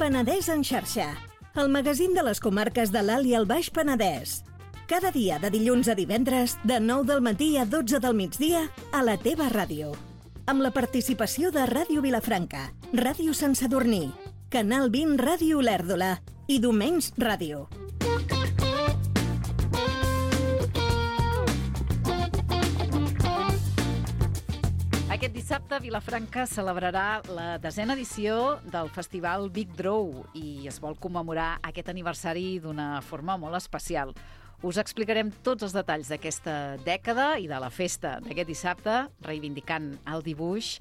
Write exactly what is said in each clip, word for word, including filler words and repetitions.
Penedès en xarxa, el magazín de les comarques de l'Alt i el Baix Penedès. Cada dia de dilluns a divendres, de nou del matí a dotze del migdia, a la teva ràdio. Amb la participació de Ràdio Vilafranca, Ràdio Sant Sadurní, Canal vint Ràdio Olèrdola i Domenys Ràdio. Aquest dissabte Vilafranca celebrarà la desena edició del Festival Big Draw i es vol commemorar aquest aniversari d'una forma molt especial. Us explicarem tots els detalls d'aquesta dècada i de la festa d'aquest dissabte, reivindicant el dibuix,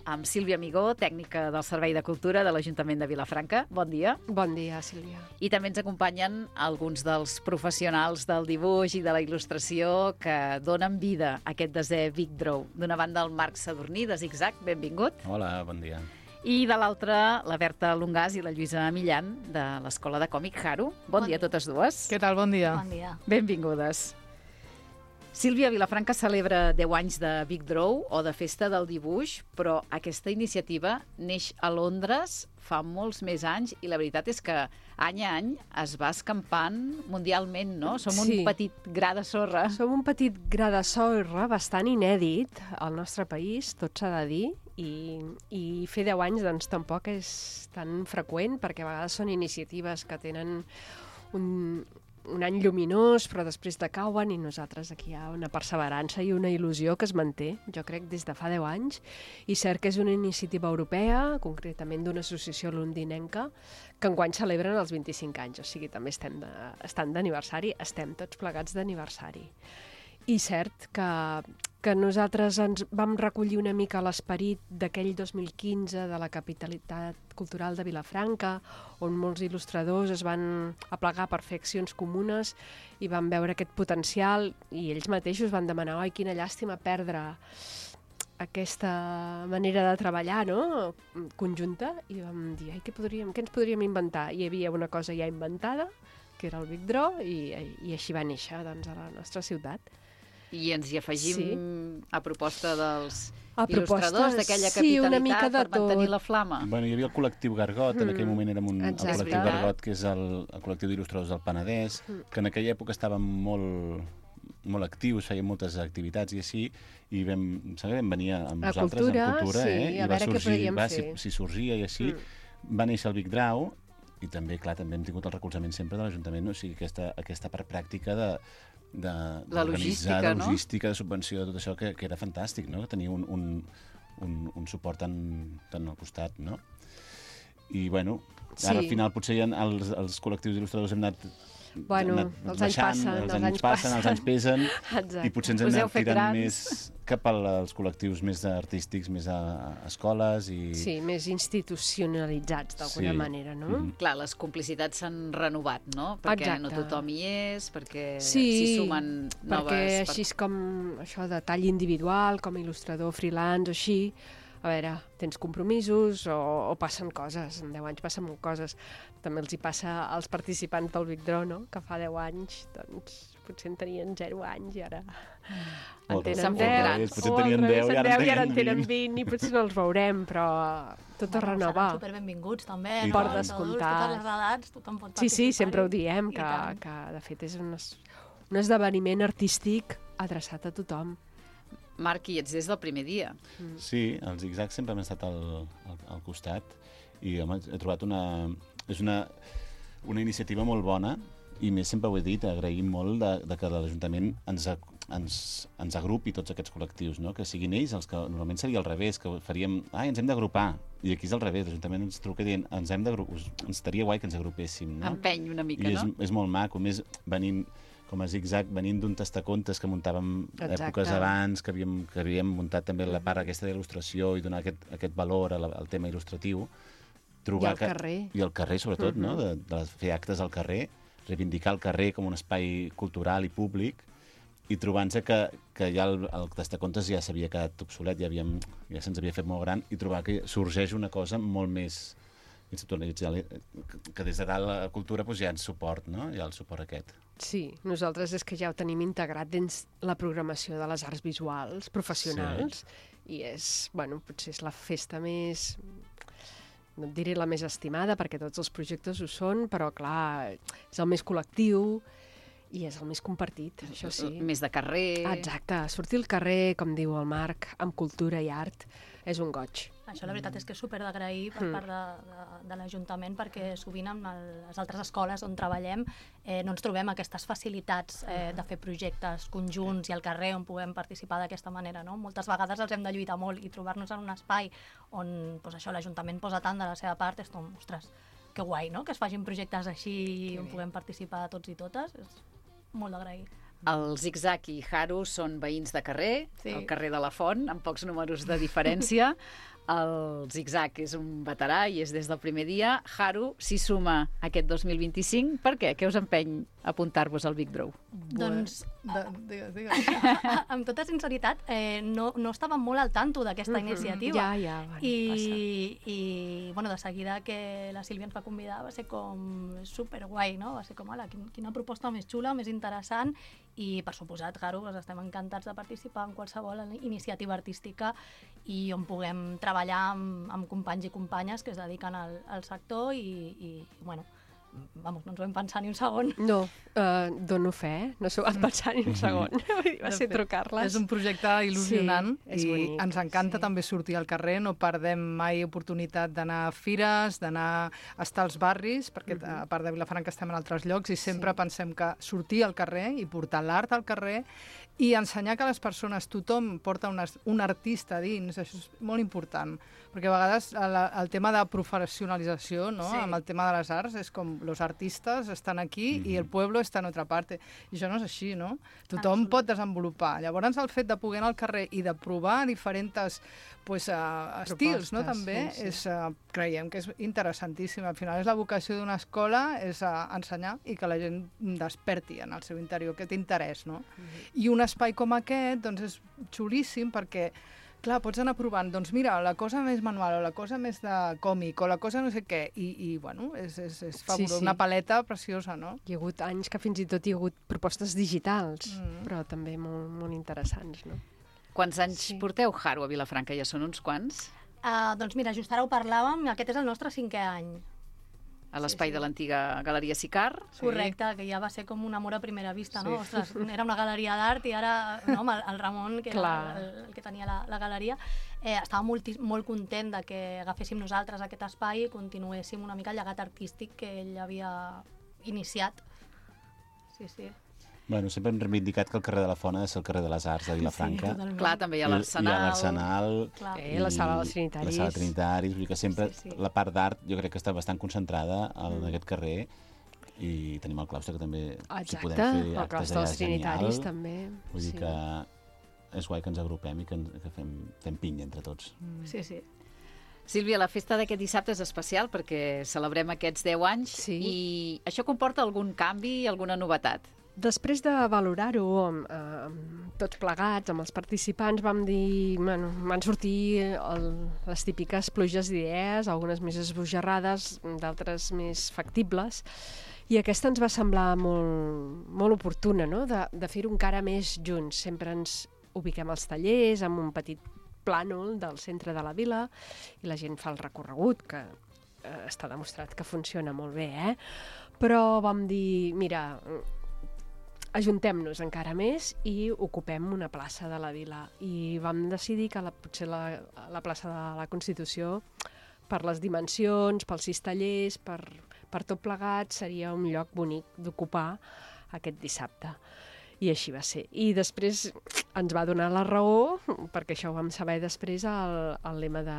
amb Sílvia Amigó, tècnica del Servei de Cultura de l'Ajuntament de Vilafranca. Bon dia. Bon dia, Sílvia. I també ens acompanyen alguns dels professionals del dibuix i de la il·lustració que donen vida a aquest desè Big Draw. D'una banda, el Marc Sadurní, de Zigzag, benvingut. Hola, bon dia. I de l'altra, la Berta Lungàs i la Lluïsa Millan, de l'Escola de Còmic Haru. Bon, bon dia a totes dues. Què tal? Bon dia. Bon dia. Benvingudes. Sílvia, Vilafranca celebra deu anys de Big Draw o de Festa del Dibuix, però aquesta iniciativa neix a Londres fa molts més anys i la veritat és que any a any es va escampant mundialment, no? Som Sí. un petit gra de sorra. Som un petit gra de sorra bastant inèdit al nostre país, tot s'ha de dir, i, i fer deu anys doncs tampoc és tan freqüent, perquè a vegades són iniciatives que tenen un, un any lluminós, però després decauen, i nosaltres aquí hi ha una perseverança i una il·lusió que es manté, jo crec, des de fa deu anys, i cert que és una iniciativa europea, concretament d'una associació londinenca, que enguany celebren els vint-i-cinc anys, o sigui, també estem de, estan d'aniversari, estem tots plegats d'aniversari. I cert que, que nosaltres ens vam recollir una mica l'esperit d'aquell dos mil quinze de la capitalitat cultural de Vilafranca, on molts il·lustradors es van aplegar per fer accions comunes i van veure aquest potencial, i ells mateixos van demanar: oi, quina llàstima perdre aquesta manera de treballar, no?, conjunta, i vam dir, ai, què, podríem, què ens podríem inventar? I hi havia una cosa ja inventada, que era el Big Draw, i, i així va néixer, doncs, a la nostra ciutat. I ens hi afegim Sí. a proposta dels A proposta, il·lustradors d'aquella sí, una mica capitalitat de per mantenir tot. la flama. Bueno, hi havia el col·lectiu Gargot, en aquell moment érem un, el Exacte. col·lectiu Gargot, que és el, el col·lectiu d'il·lustradors del Penedès, que en aquella època estàvem molt, molt actius, fèiem moltes activitats i així, i vam, saber, vam venir amb A nosaltres, cultura, en cultura, sí, eh? a I va veure què sorgir, podíem va, fer. si, si sorgia i així, mm. va néixer el Big Draw, i també, clar, també hem tingut el recolzament sempre de l'Ajuntament, o sigui, aquesta, aquesta part pràctica de, de, La logística, de no? logística, de subvenció, de tot això, que, que era fantàstic, no?, que tenia un, un, un, un suport tan, tan al costat, no? I, bueno, ara Sí. al final potser ja els, els col·lectius il·lustradors hem anat Bueno, hem anat els anys baixant, passen, els els anys anys passen, els anys pesen, Exacte. i potser ens hem Us heu anat fet tirant grans. més cap als col·lectius més artístics, més a, a escoles i... Sí, més institucionalitzats, d'alguna Sí. manera, no? Mhm. Clar, les complicitats s'han renovat, no? Perquè Exacte. no tothom hi és, perquè Sí, s'hi sumen noves... perquè així és com això de tall individual, com a il·lustrador freelance o així, a veure, tens compromisos o, o passen coses, en deu anys passen molt coses. També els hi passa als participants del Big Draw, no?, que fa deu anys, doncs, potser en tenien zero anys i ara en O tenen s'han fet deu, grans. Potser o al tenien revés, deu i en ara en deu i ara en tenen tenen vint i potser no els veurem, però tot a renovar. Seran superbenvinguts, també. I no? tant. Els adults, descomptat. Totes les edats, tothom pot Sí, sí, participar-hi. sempre ho diem, I que, tant. que de fet és un, es- un esdeveniment artístic adreçat a tothom. Marc, i ets des del primer dia. Sí, els zigzags sempre han estat al, al, al costat i home, he trobat una... És una, una iniciativa molt bona i més sempre ho he dit, agraïm molt de, de que l'Ajuntament ens, a- ens, ens agrupi tots aquests col·lectius, no? Que siguin ells els que normalment seria al revés, que faríem, ai, ens hem d'agrupar, i aquí és al revés, l'Ajuntament ens truca dient, ens hem d'agrupar, ens estaria guai que ens agrupéssim, no? Empeny una mica, I és, no? és molt maco, més venint com a zigzag, venint d'un tastacontes que muntàvem Exacte. èpoques abans, que havíem, que havíem muntat també la part aquesta d'il·lustració i donar aquest, aquest valor al, al tema il·lustratiu. Trobar I al carrer. I al carrer, sobretot, uh -huh. no? de, de fer actes al carrer, reivindicar el carrer com un espai cultural i públic, i trobant-se que, que ja el, el tastacontes ja s'havia quedat obsolet, ja, havíem, ja se'ns havia fet molt gran, i trobar que sorgeix una cosa molt més institucionalitzada, que des de dalt la cultura doncs, hi ha el suport, no? Hi ha el suport aquest. Sí, nosaltres és que ja ho tenim integrat dins la programació de les arts visuals professionals, sí. I és, bueno, potser és la festa més no et diré la més estimada, perquè tots els projectes ho són, però clar, és el més col·lectiu i és el més compartit, això sí. Més de carrer... Exacte, sortir al carrer, com diu el Marc, amb cultura i art, és un goig. Això la veritat és que és super d'agrair per Mm. part de, de, de l'Ajuntament, perquè sovint en el, les altres escoles on treballem eh, no ens trobem aquestes facilitats eh, de fer projectes conjunts i al carrer on puguem participar d'aquesta manera, no? Moltes vegades els hem de lluitar molt i trobar-nos en un espai on pues, això l'Ajuntament posa tant de la seva part, és com, ostres, que guai, no?, que es facin projectes així on puguem participar tots i totes, és molt d'agrair. El Zigzag i Haru són veïns de carrer, Sí. al carrer de la Font, amb pocs números de diferència. El Zigzag és un veterà i és des del primer dia. Haru s'hi suma aquest dos mil vint-i-cinc. Per què? Què us empeny a apuntar-vos al Big Draw? Doncs, De, digues, digues. amb tota sinceritat, eh, no, no estava molt al tanto d'aquesta iniciativa. Ja, ja, bueno, I, i bueno, de seguida que la Sílvia ens va convidar va ser com superguai, no? Va ser com, ala, quin, quina proposta més xula, més interessant, i per suposat, Haru, doncs estem encantats de participar en qualsevol iniciativa artística i on puguem treballar amb, amb companys i companyes que es dediquen al, al sector i, i bueno, vamos, no ens ho vam pensar ni un segon. No, uh, dono fe, no s'ho van pensar ni un segon. Vull dir, va De ser fet, trucar-les. És un projecte il·lusionant Sí, és i bonic, ens encanta sí. també sortir al carrer, no perdem mai oportunitat d'anar a fires, d'anar a estar als barris, perquè a part de Vilafranca estem en altres llocs i sempre Sí. pensem que sortir al carrer i portar l'art al carrer i ensenyar que les persones, tothom porta un, ars- un artista dins, això és molt important, perquè a vegades el, el tema de professionalització, no? Sí. Amb el tema de les arts, és com los artistes estan aquí i el pueblo està en otra parte. I això no és així, no? Tothom Absolut. pot desenvolupar. Llavors, el fet de poder anar al carrer i de provar diferents pues, uh, estils, no? Propostes, També, sí, sí. és, uh, creiem que és interessantíssim. Al final és la vocació d'una escola, és uh, ensenyar i que la gent desperti en el seu interior aquest interès, no? I un espai com aquest, doncs, és xulíssim perquè clar, pots anar provant, doncs mira, la cosa més manual o la cosa més de còmic o la cosa no sé què, i, i bueno, és, és, és fabulós, sí. una paleta preciosa, no? Hi ha hagut anys que fins i tot hi ha hagut propostes digitals, Mm. però també molt, molt interessants, no? Quants anys Sí. porteu, Haru, a Vilafranca? Ja són uns quants? Uh, doncs mira, just ara ho parlàvem, aquest és el nostre cinquè any. A l'espai Sí, sí. de l'antiga Galeria Sicar? Sí. Correcte, que ja va ser com un amor a primera vista, no? Sí. Ostres, era una galeria d'art i ara, no, amb el, el Ramon, que Clar. era el, el que tenia la, la galeria, eh, estava molt, molt content de que agaféssim nosaltres aquest espai i continuéssim una mica el llegat artístic que ell havia iniciat. Sí, sí. Bueno, sempre hem reivindicat que el carrer de la Font ha de ser el carrer de les Arts de Vilafranca. totalment. Clar, també hi ha I- l'Arsenal. I a l'Arsenal. Clar. Eh, la sala dels Trinitaris. La sala Trinitaris, vull dir que sempre Sí, sí. la part d'art jo crec que està bastant concentrada en aquest carrer i tenim el claustre que també si Exacte, podem fer el actes claustre allà dels és genial. Trinitaris també. Vull dir sí. que és guai que ens agrupem i que, ens, que fem, fem pinya entre tots. Sí, sí. Sílvia, la festa d'aquest dissabte és especial perquè celebrem aquests deu anys Sí. i això comporta algun canvi, alguna novetat? Després de valorar-ho amb, eh, amb tots plegats, amb els participants, vam dir, bueno, van sortir el, les típiques pluges d'idees, algunes més esbojarrades, d'altres més factibles, i aquesta ens va semblar molt, molt oportuna, no?, de, de fer-ho encara més junts. Sempre ens ubiquem als tallers, amb un petit plànol del centre de la vila, i la gent fa el recorregut, que eh, està demostrat que funciona molt bé, eh? Però vam dir, mira, ajuntem-nos encara més i ocupem una plaça de la vila. I vam decidir que la, potser la, la plaça de la Constitució, per les dimensions, pels sis tallers, per, per tot plegat, seria un lloc bonic d'ocupar aquest dissabte. I així va ser. I després ens va donar la raó, perquè això ho vam saber després, el, el lema de,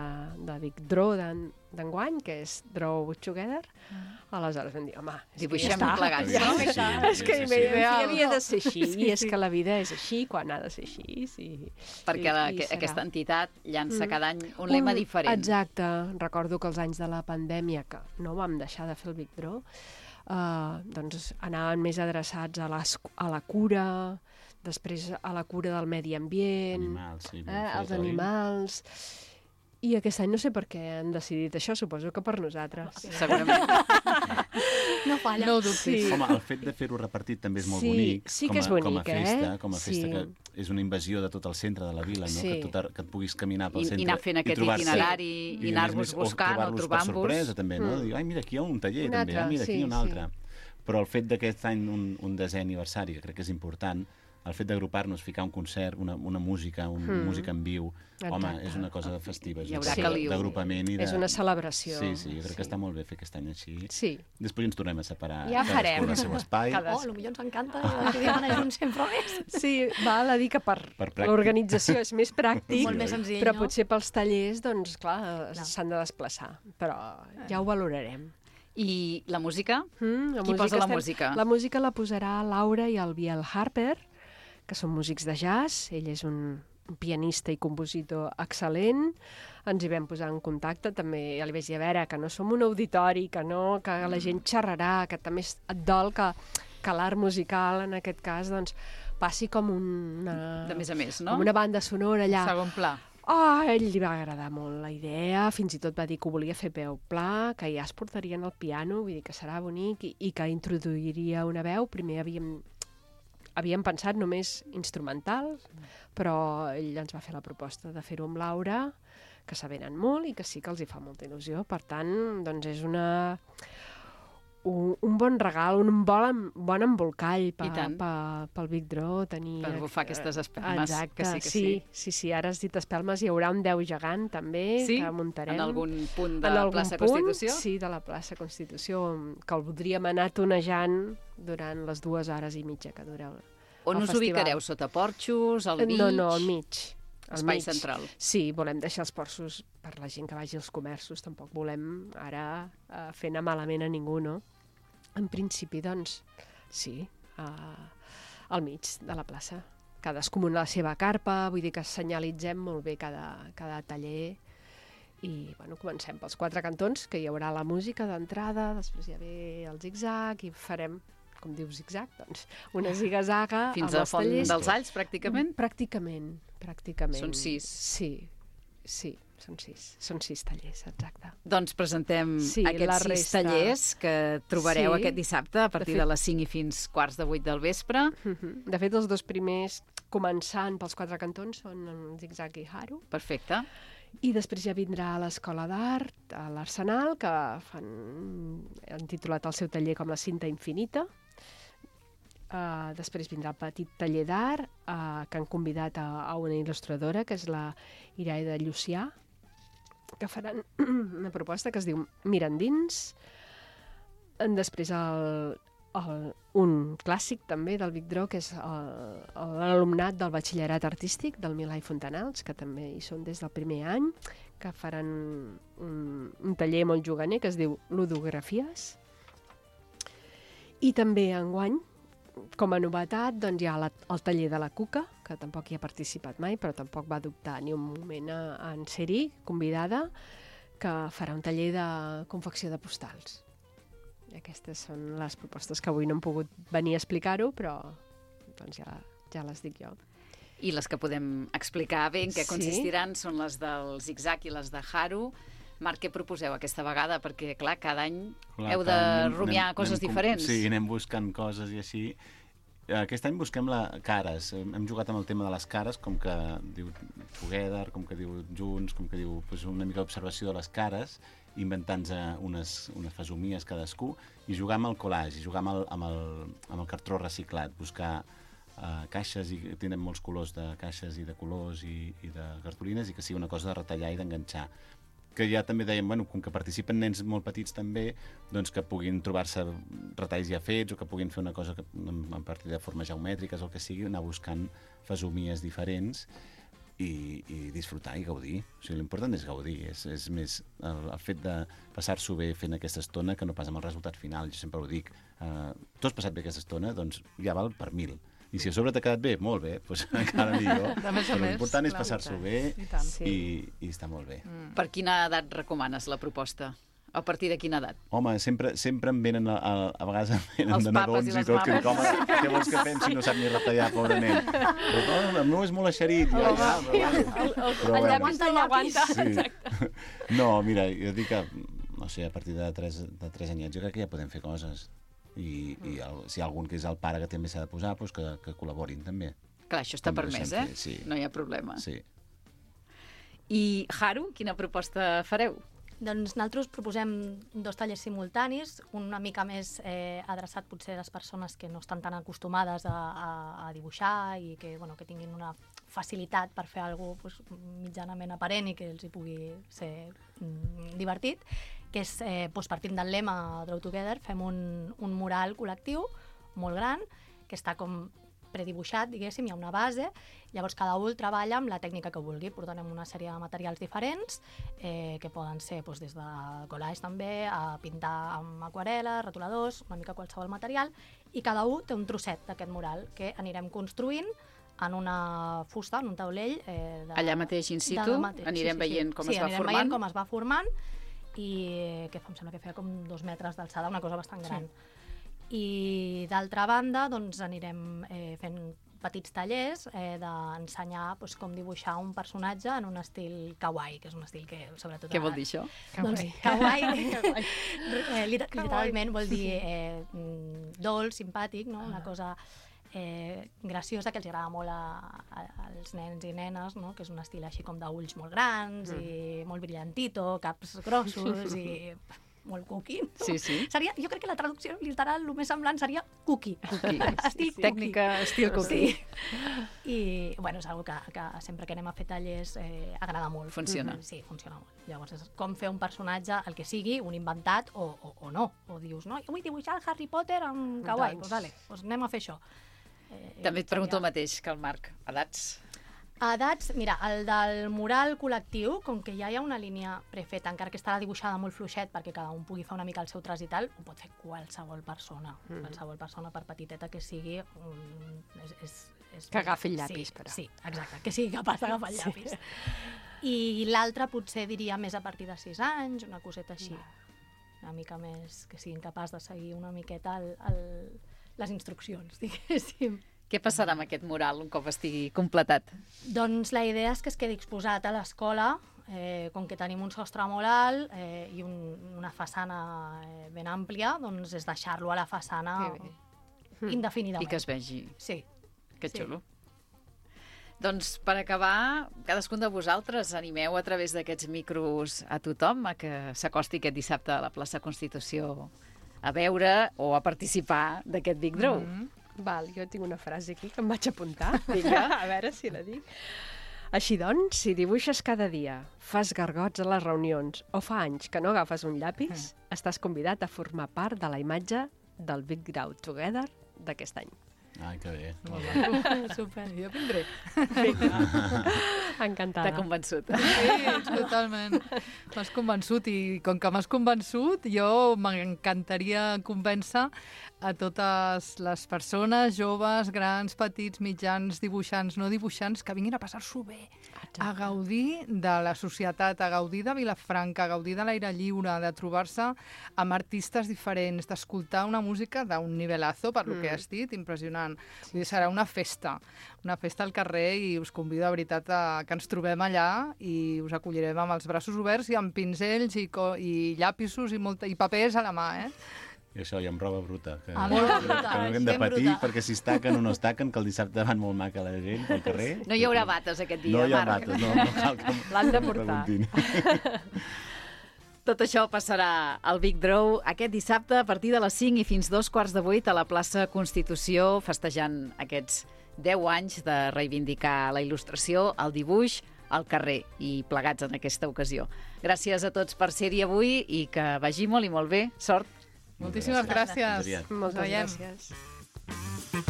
de Big Draw d'enguany, que és Draw Together. Aleshores vam dir, home, és Dibuixem que ja està. plegats, Ja, no? està. És que Sí, sí, sí. ideal. havia de ser així, Sí, i és sí. que la vida és així quan ha de ser així. Sí. Perquè la, I- i que, serà. aquesta entitat llança Mm. cada any un lema diferent. Exacte. Recordo que els anys de la pandèmia, que no vam deixar de fer el Big Draw, uh, doncs anaven més adreçats a, les, a la cura, després a la cura del medi ambient, Animals, sí. eh, els territori. animals, I aquest any no sé per què han decidit això, suposo que per nosaltres. Segurament. No falla. No ho dubtis. Sí. Home, el fet de fer-ho repartit també és molt Sí, bonic. sí com que a, és bonic, com a festa, eh? com a festa Sí. que és una invasió de tot el centre de la vila, no? Sí. Que, tot, que et puguis caminar pel I, centre I anar fent aquest trobar-se. itinerari, I, i anar-vos buscant o trobar-los per trobant-vos. sorpresa, també, no? Mm. Dir, ai, mira, aquí hi ha un taller, Un també, altre, ah, mira, aquí sí, hi ha un sí. altre. Però el fet d'aquest any, un, un desè aniversari, que crec que és important, el fet d'agrupar-nos, ficar un concert, una, una música, un, Mm. música en viu, home, Exacte. és una cosa festiva, és Hi una haurà cosa caliu. d'agrupament i de... És una celebració. Sí, sí, jo crec Sí. que està molt bé fer aquest any així. Sí. Després ens tornem a separar Ja cadascú farem. al seu espai. Cada- Oh, potser ens encanta i decidim anar junts sempre més. Sí, val a dir que per, Per pràctic. l'organització és més pràctic, Molt més senzill, però no? potser pels tallers, doncs, clar, Clar. s'han de desplaçar. Però ja ho valorarem. I la música? Mm, Qui posa la música? La música la posarà Laura i el Biel Harper, que són músics de jazz. Ell és un, un pianista i compositor excel·lent. Ens hi vam posar en contacte. També ja li vaig dir, a veure, que no som un auditori, que no, que la gent xerrarà, que també es- et dol que, que l'art musical, en aquest cas, doncs, passi com una... De més a més, no? Com una banda sonora allà. Segon pla. Oh, a ell li va agradar molt la idea, fins i tot va dir que ho volia fer peu pla, que ja es portarien al piano, vull dir que serà bonic, i, i que introduiria una veu. Primer havíem, havíem pensat només instrumental, però ell ens va fer la proposta de fer-ho amb Laura, que s'avenen molt i que sí que els hi fa molta il·lusió. Per tant, doncs és una... Un, un bon regal, un bon, em- bon embolcall I tant. pa, pa, pel Big Draw. Tenir, Per bufar aquestes espelmes, Exacte, que sí, que sí, sí. sí, sí, ara has dit espelmes, hi haurà un deu gegant també, Sí? que muntarem. En algun punt de En algun plaça punt, Constitució? Sí, de la plaça Constitució, que el voldríem anar tonejant durant les dues hores i mitja que dureu. On el us festival. ubicareu? Sota porxos, al mig? No, no, al mig. Al Espai mig. central. Sí, volem deixar els porxos per la gent que vagi als comerços, tampoc volem ara uh, fer anar malament a ningú, no? En principi, doncs, sí, uh, al mig de la plaça. Cadascú amb la seva carpa, vull dir que senyalitzem molt bé cada, cada taller. I, bueno, comencem pels quatre cantons, que hi haurà la música d'entrada, després hi ha ve el zig-zag i farem, com diu zig-zag, doncs, una ziga-zaga Fins amb a els Font tallers. dels Alls, pràcticament? Pràcticament, pràcticament. Són sis. Sí, sí, són sis. Són sis tallers, exacte. Doncs presentem Sí, la aquests sis resta. tallers que trobareu Sí. aquest dissabte a partir de, De fet- les cinc i fins quarts de vuit del vespre. Mhm. De fet, els dos primers, començant pels quatre cantons, són el Zig-Zag i Haru. Perfecte. I després ja vindrà a l'Escola d'Art, a l'Arsenal, que fan, han titulat el seu taller com la cinta infinita. Uh, després vindrà el petit taller d'art, uh, que han convidat a, a una il·lustradora, que és la Iraida Llucià, que faran una proposta que es diu Mirandins. Després el, el, un clàssic també del Big Draw, que és el- l'alumnat del batxillerat artístic del Milà i Fontanals, que també hi són des del primer any, que faran un, un taller molt juganer que es diu Ludografies. I també enguany, com a novetat, doncs hi ha la, el taller de la Cuca, que tampoc hi ha participat mai, però tampoc va dubtar ni un moment a, a en ser-hi convidada, que farà un taller de confecció de postals. I aquestes són les propostes que avui no hem pogut venir a explicar-ho, però doncs ja, ja les dic jo. I les que podem explicar bé en què Sí. consistiran són les del Zig-Zag i les de Haru. Marc, què proposeu aquesta vegada? Perquè, clar, cada any Clar, heu de cada any anem- rumiar anem- coses anem com- diferents. Sí, anem buscant coses i així. Aquest any busquem la cares. Hem jugat amb el tema de les cares, com que diu Together, com que diu Junts, com que diu pues, una mica d'observació de les cares, inventant-nos unes, unes fesomies cadascú, i jugar amb el collage, i jugar amb el, amb el, amb el cartró reciclat, buscar uh, caixes, i tenen molts colors de caixes i de colors i, i de cartolines, i que sigui una cosa de retallar i d'enganxar. Que ja també dèiem, bueno, com que participen nens molt petits també, doncs que puguin trobar-se retalls ja fets o que puguin fer una cosa que, a partir de formes geomètriques o el que sigui, anar buscant fesomies diferents i, i disfrutar i gaudir. O sigui, l'important és gaudir, és, és més el, el fet de passar-s'ho bé fent aquesta estona que no pas amb el resultat final. Jo sempre ho dic, uh, tu has passat bé aquesta estona, doncs ja val per mil. I si a sobre t'ha quedat bé, molt bé, doncs encara millor. De més a Però més, l'important és clar. passar-s'ho bé I tant. Sí. i, i està molt bé. Mm. Per quina edat recomanes la proposta? A partir de quina edat? Home, sempre, sempre em venen, a, a, a vegades em venen Els de papes nadons i i les tot, que mames. dic, home, què vols que fem si no sap ni retallar, pobre nen? Però, oh, el meu és molt eixerit. Ja, ja, però, bueno. Però, El bueno. llapis no l'aguanta. Sí. No, mira, jo dic que, no sé, a partir de tres, de tres anyets jo crec que ja podem fer coses. I, i el, si hi ha algun que és el pare que també s'ha de posar, doncs que, que col·laborin també. Clar, això està També ho permès, deixem eh? fer, sí. No hi ha problema. Sí. I, Haru, quina proposta fareu? Doncs nosaltres proposem dos tallers simultanis, un una mica més eh, adreçat potser a les persones que no estan tan acostumades a, a, a dibuixar i que, bueno, que tinguin una facilitat per fer alguna cosa pues, mitjanament aparent i que els hi pugui ser mm, divertit, que és, eh, doncs, partint del lema Draw Together, fem un, un mural col·lectiu molt gran, que està com predibuixat, diguéssim, hi ha una base, llavors cada un treballa amb la tècnica que vulgui, portarem una sèrie de materials diferents, eh, que poden ser doncs, des de collage també, a pintar amb aquarel·la, retoladors, una mica qualsevol material, i cada un té un trosset d'aquest mural que anirem construint en una fusta, en un taulell. Eh, de, Allà mateix in situ, mateix. anirem sí, sí, veient sí. com sí, es va anirem formant. veient com es va formant i que em sembla que feia com dos metres d'alçada, una cosa bastant gran. Sí. I d'altra banda doncs, anirem eh, fent petits tallers eh, d'ensenyar doncs, com dibuixar un personatge en un estil kawaii, que és un estil que sobretot... Què vol dir això? Doncs kawaii, eh, liter literalment vol dir eh, dolç, simpàtic, no? Una cosa eh, graciosa que els agrada molt a, a, als nens i nenes, no? Que és un estil així com d'ulls molt grans mm. i molt brillantito, caps grossos i molt cookie. No? Sí, sí. Seria, jo crec que la traducció literal, el més semblant seria cookie. Cookie. Estil cookie. Tècnica estil cookie. Sí. I, bueno, és una que, que sempre que anem a fer tallers eh, agrada molt. Funciona. Mm -hmm. Sí, funciona molt. Llavors, és com fer un personatge, el que sigui, un inventat o, o, o no. O dius, no, jo vull dibuixar el Harry Potter amb kawaii. Doncs pues, vale, pues anem a fer això. Eh, També et pregunto el mateix que el Marc. Edats? Edats, mira, el del mural col·lectiu, com que ja hi ha una línia prefeta, encara que estarà dibuixada molt fluixet perquè cada un pugui fer una mica el seu tras i tal, ho pot fer qualsevol persona. Mm. Qualsevol persona, per petiteta que sigui, um, és, és, és... Que agafi el llapis, sí, però. Sí, exacte, que sigui capaç d'agafar el llapis. Sí. I l'altre potser diria més a partir de sis anys, una coseta així. Una mica més, que siguin capaç de seguir una miqueta el, el, les instruccions, diguéssim. Què passarà amb aquest mural un cop estigui completat? Doncs la idea és que es quedi exposat a l'escola, eh, com que tenim un sostre molt alt eh, i un, una façana eh, ben àmplia, doncs és deixar-lo a la façana indefinidament. I que es vegi. Sí. Que sí. xulo. Doncs per acabar, cadascun de vosaltres animeu a través d'aquests micros a tothom a que s'acosti aquest dissabte a la plaça Constitució a veure o a participar d'aquest Big Draw. Mm-hmm. Val, jo tinc una frase aquí que em vaig apuntar. Vinga, a veure si la dic. Així doncs, si dibuixes cada dia, fas gargots a les reunions o fa anys que no agafes un llapis, mm. estàs convidat a formar part de la imatge del Big Draw Together d'aquest any. Ai, que bé. Uh, super, jo vindré. Encantada. T'ha convençut. Sí, totalment. M'has convençut i com que m'has convençut, jo m'encantaria convèncer a totes les persones, joves, grans, petits, mitjans, dibuixants, no dibuixants, que vinguin a passar-s'ho bé, Exacte. a gaudir de la societat, a gaudir de Vilafranca, a gaudir de l'aire lliure, de trobar-se amb artistes diferents, d'escoltar una música d'un nivelazo, per lo mm. que has dit, impressionant. Vull dir, serà una festa, una festa al carrer i us convido de veritat a que ens trobem allà i us acollirem amb els braços oberts i amb pinzells i, co i llapisos i, molta, i papers a la mà, eh? I això, i amb roba bruta. Que, Ah, molt bruta, que no haguem de ben patir, bruta. perquè si es taquen o no es taquen, que el dissabte van molt maca la gent pel carrer. No hi haurà bates aquest dia, No hi ha Marc. bates, no, no cal que L'han de que m'ho portar. preguntin. Tot això passarà al Big Draw aquest dissabte a partir de les cinc i fins dos quarts de vuit a la plaça Constitució, festejant aquests deu anys de reivindicar la il·lustració, el dibuix, al carrer i plegats en aquesta ocasió. Gràcies a tots per ser-hi avui i que vagi molt i molt bé. Sort! Moltíssimes gràcies. Fins aviat. Moltes Ens veiem. gràcies.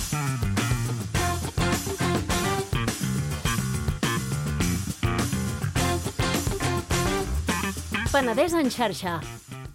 Penedès en xarxa,